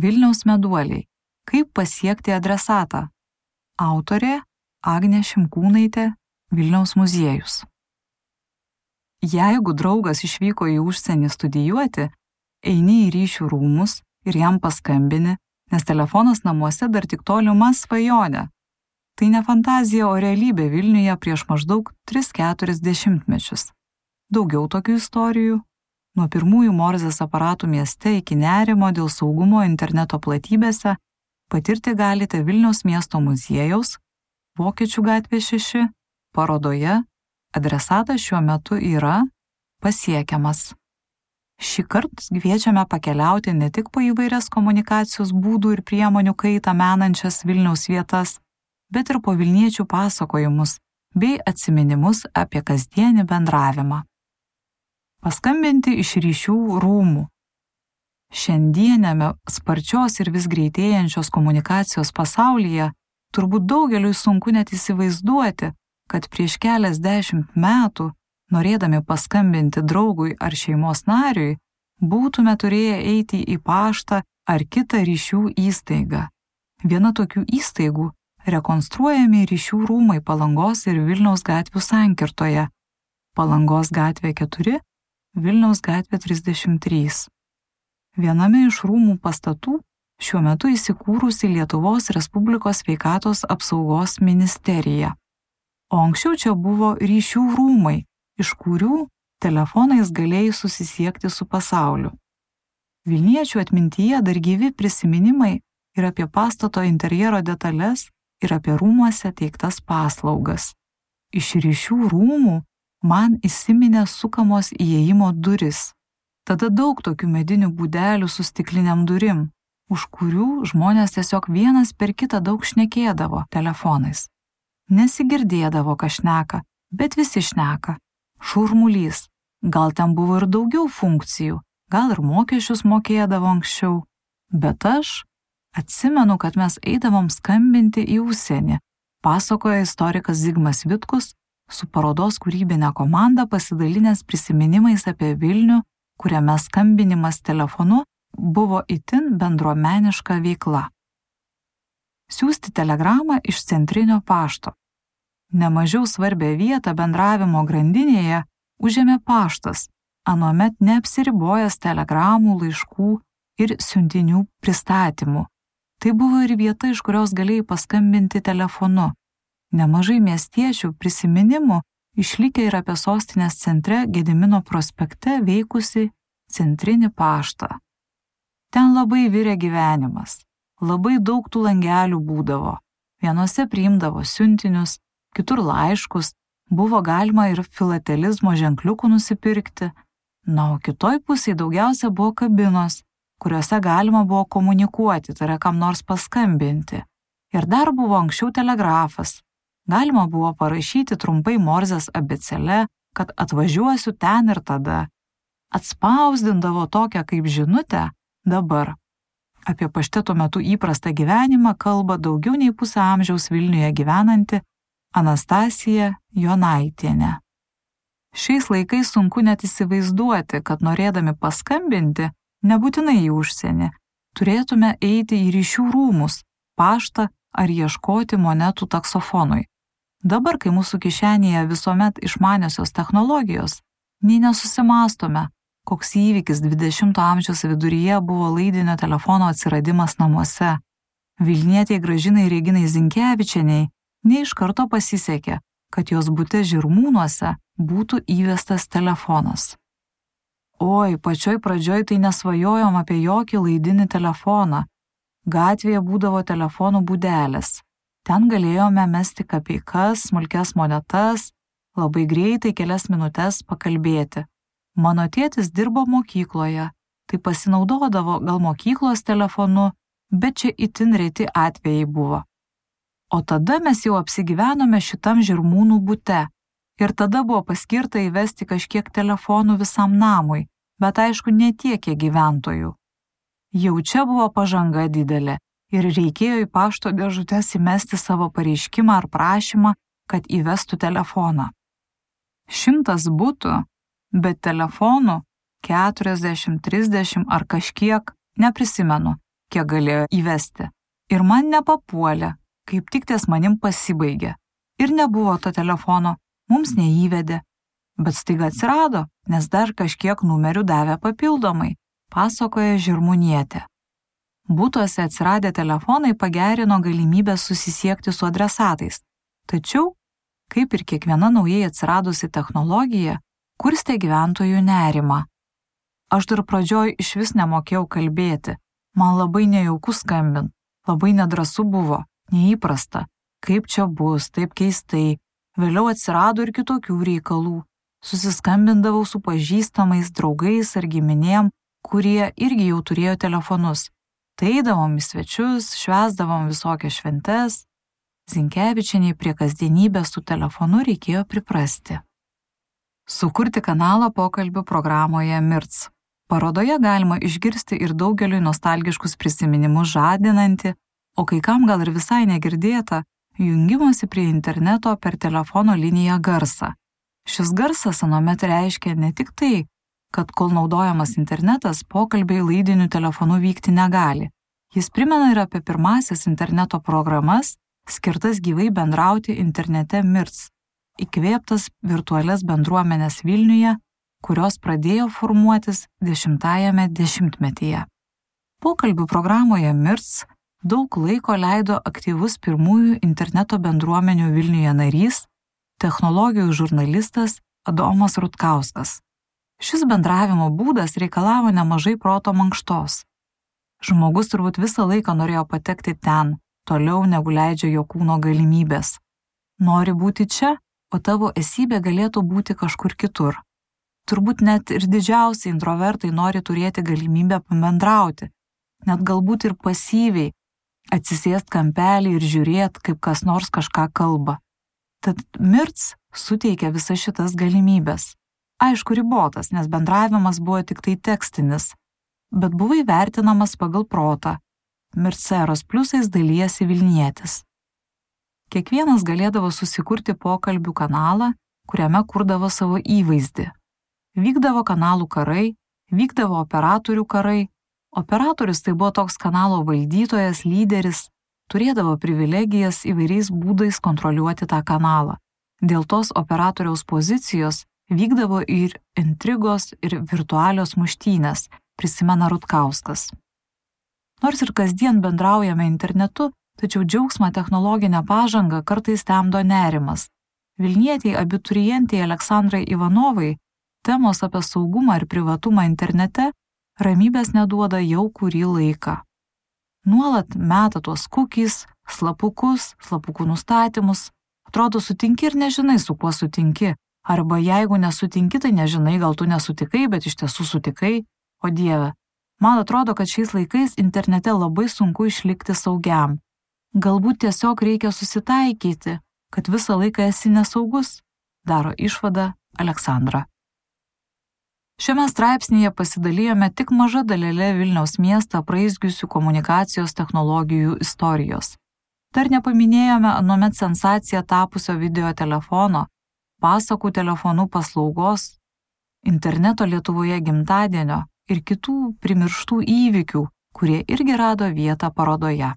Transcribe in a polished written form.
Vilniaus meduoliai. Kaip pasiekti adresatą? Autorė Agnė Šimkūnaitė, Vilniaus muziejus. Jeigu draugas išvyko į užsienį studijuoti, eini į ryšių rūmus ir jam paskambini, nes telefonas namuose dar tik tolima svajonė. Tai ne fantazija, o realybė Vilniuje prieš maždaug 3-4 dešimtmečius. Daugiau tokių istorijų. Nuo pirmųjų Morzės aparatų mieste iki nerimo dėl saugumo interneto platybėse patirti galite Vilniaus miesto muziejaus, Vokiečių gatvė 6, parodoje. Adresatas šiuo metu yra pasiekiamas. Šį kartą kviečiame pakeliauti ne tik po įvairias komunikacijos būdų ir priemonių kaitą menančias Vilniaus vietas, bet ir po vilniečių pasakojimus bei atsiminimus apie kasdienį bendravimą. Paskambinti iš ryšių rūmų. Šiandieniame sparčios ir vis greitėjančios komunikacijos pasaulyje turbūt daugeliui sunku net įsivaizduoti, kad prieš keliasdešimt metų, norėdami paskambinti draugui ar šeimos nariui, būtume turėję eiti į paštą ar kitą ryšių įstaigą. Viena tokių įstaigų – rekonstruojami ryšių rūmai Palangos ir Vilniaus gatvių sankirtoje. Palangos gatvė 4, Vilniaus gatvė 33. Viename iš rūmų pastatų šiuo metu įsikūrusi Lietuvos Respublikos sveikatos apsaugos ministerija. O anksčiau čia buvo ryšių rūmai, iš kurių telefonais galėjai susisiekti su pasauliu. Vilniečių atmintyje dar gyvi prisiminimai ir apie pastato interjero detalės ir apie rūmuose teiktas paslaugas. Iš ryšių rūmų man įsiminė sukamos įėjimo duris. Tada daug tokių medinių būdelių su stikliniam durim, už kurių žmonės tiesiog vienas per kitą daug šnekėdavo telefonais. Nesigirdėdavo, ką šneka, bet visi šneka. Šurmulys. Gal ten buvo ir daugiau funkcijų, gal ir mokesčius mokėdavo anksčiau. Bet aš atsimenu, kad mes eidavom skambinti į užsienį, pasakoja istorikas Zigmas Vitkus, su parodos kūrybinė komanda pasidalinęs prisiminimais apie Vilnių, kuriame skambinimas telefonu buvo itin bendruomeniška veikla. Siųsti telegramą iš centrinio pašto. Nemažiau svarbią vietą bendravimo grandinėje užėmė paštas, anuomet neapsiribojęs telegramų, laiškų ir siuntinių pristatymų. Tai buvo ir vieta, iš kurios galėjai paskambinti telefonu. Nemažai miestiečių prisiminimų išlikę ir apie sostinės centre Gedimino prospekte veikusi centrinį paštą. Ten labai virė gyvenimas. Labai daug tų langelių būdavo. Vienuose priimdavo siuntinius, kitur laiškus, buvo galima ir filatelizmo ženkliukų nusipirkti. Na, o kitoj pusėje daugiausia buvo kabinos, kuriuose galima buvo komunikuoti, tai yra kam nors paskambinti. Ir dar buvo anksčiau telegrafas. Galima buvo parašyti trumpai Morzės abėcėle, kad atvažiuosiu ten ir tada. Atspausdindavo tokią kaip žinutę dabar. Apie pašteto metu įprastą gyvenimą kalba daugiau nei pusę amžiaus Vilniuje gyvenanti Anastasija Jonaitienė. Šiais laikais sunku net įsivaizduoti, kad norėdami paskambinti, nebūtinai į užsienį, turėtume eiti į ryšių rūmus, paštą ar ieškoti monetų taksofonui. Dabar, kai mūsų kišenėje visuomet išmaniosios technologijos, nei nesusimastome, koks įvykis 20 amžiaus viduryje buvo laidinio telefono atsiradimas namuose. Vilnietei Gražinai Reginai Zinkevičienei ne iš karto pasisekė, kad jos bute Žirmūnuose būtų įvestas telefonas. Oi, pačioj pradžioj tai nesvajojom apie jokį laidinį telefoną. Gatvėje būdavo telefonų būdelės. Ten galėjome mesti kapeikas, smulkias monetas, labai greitai kelias minutes pakalbėti. Mano tėtis dirbo mokykloje, tai pasinaudodavo gal mokyklos telefonu, bet čia itin reti atvejai buvo. O tada mes jau apsigyvenome šitam Žirmūnų bute ir tada buvo paskirta įvesti kažkiek telefonų visam namui, bet aišku ne tiek, kiek gyventojų. Jau čia buvo pažanga didelė ir reikėjo į pašto dėžutes įmesti savo pareiškimą ar prašymą, kad įvestų telefoną. 100 butų, bet telefonų 40, 30 ar kažkiek, neprisimenu, kiek galėjo įvesti. Ir man nepapuolė, kaip tik ties manim pasibaigė. Ir nebuvo to telefono, mums neįvedė. Bet staiga atsirado, nes dar kažkiek numerių davė papildomai, pasakoja Žirmūnietė. Būtuose atsiradę telefonai pagerino galimybę susisiekti su adresatais. Tačiau, kaip ir kiekviena naujai atsiradusi technologija, kurstė gyventojų nerimą. Aš dar pradžioj išvis nemokėjau kalbėti, man labai nejauku skambint, labai nedrąsu buvo, neįprasta, kaip čia bus, taip keistai, vėliau atsirado ir kitokių reikalų. Susiskambindavau su pažįstamais, draugais ar giminėm, kurie irgi jau turėjo telefonus. Tai eidavom į svečius, švęsdavom visokias šventes. Zinkevičienei prie kasdienybės su telefonu reikėjo priprasti. Sukurti kanalą pokalbių programoje MIRC. Parodoje galima išgirsti ir daugeliui nostalgiškus prisiminimus žadinantį, o kai kam gal ir visai negirdėtą, jungimosi prie interneto per telefono liniją garsą. Šis garsas anuomet reiškia ne tik tai, kad kol naudojamas internetas, pokalbiai laidiniu telefonu vykti negali. Jis primena ir apie pirmąsias interneto programas, skirtas gyvai bendrauti internete MIRC, įkvėptas virtualias bendruomenės Vilniuje, kurios pradėjo formuotis 10-ajame dešimtmetyje. Pokalbių programoje MIRC daug laiko leido aktyvus pirmųjų interneto bendruomenių Vilniuje narys, technologijų žurnalistas Adomas Rutkauskas. Šis bendravimo būdas reikalavo nemažai proto mankštos. Žmogus turbūt visą laiką norėjo patekti ten, toliau negu leidžia jo kūno galimybės. Nori būti čia, o tavo esybė galėtų būti kažkur kitur. Turbūt net ir didžiausi introvertai nori turėti galimybę pabendrauti, net galbūt ir pasyviai, atsisėst kampelį ir žiūrėt, kaip kas nors kažką kalba. Tad MIRC suteikia visas šitas galimybės. Aišku, ribotas, nes bendravimas buvo tik tai tekstinis, bet buvo įvertinamas pagal protą. MIRC eros pliusais dalijasi Vilnietis. Kiekvienas galėdavo susikurti pokalbių kanalą, kuriame kurdavo savo įvaizdį. Vykdavo kanalų karai, vykdavo operatorių karai. Operatorius tai buvo toks kanalo valdytojas, lyderis, turėdavo privilegijas įvairiais būdais kontroliuoti tą kanalą. Dėl tos operatoriaus pozicijos vykdavo ir intrigos, ir virtualios muštynės, prisimena Rutkauskas. Nors ir kasdien bendraujame internetu, tačiau džiaugsmą technologinę pažangą kartais temdo nerimas. Vilnietei abiturientei Aleksandrai Ivanovai temos apie saugumą ir privatumą internete ramybės neduoda jau kurį laiką. Nuolat meta tuos cookies, slapukų nustatymus. Atrodo, sutinki ir nežinai, su kuo sutinki. Arba jeigu nesutinki, tai nežinai, gal tu nesutikai, bet iš tiesų sutikai. O Dieve, man atrodo, kad šiais laikais internete labai sunku išlikti saugiam. Galbūt tiesiog reikia susitaikyti, kad visą laiką esi nesaugus, daro išvadą Aleksandra. Šiame straipsnyje pasidalijome tik maža dalelė Vilniaus miestą apraizgiusių komunikacijos technologijų istorijos. Dar nepaminėjome anuomet sensacija tapusio video telefono, pasakų telefonų paslaugos, interneto Lietuvoje gimtadienio ir kitų primirštų įvykių, kurie irgi rado vietą parodoje.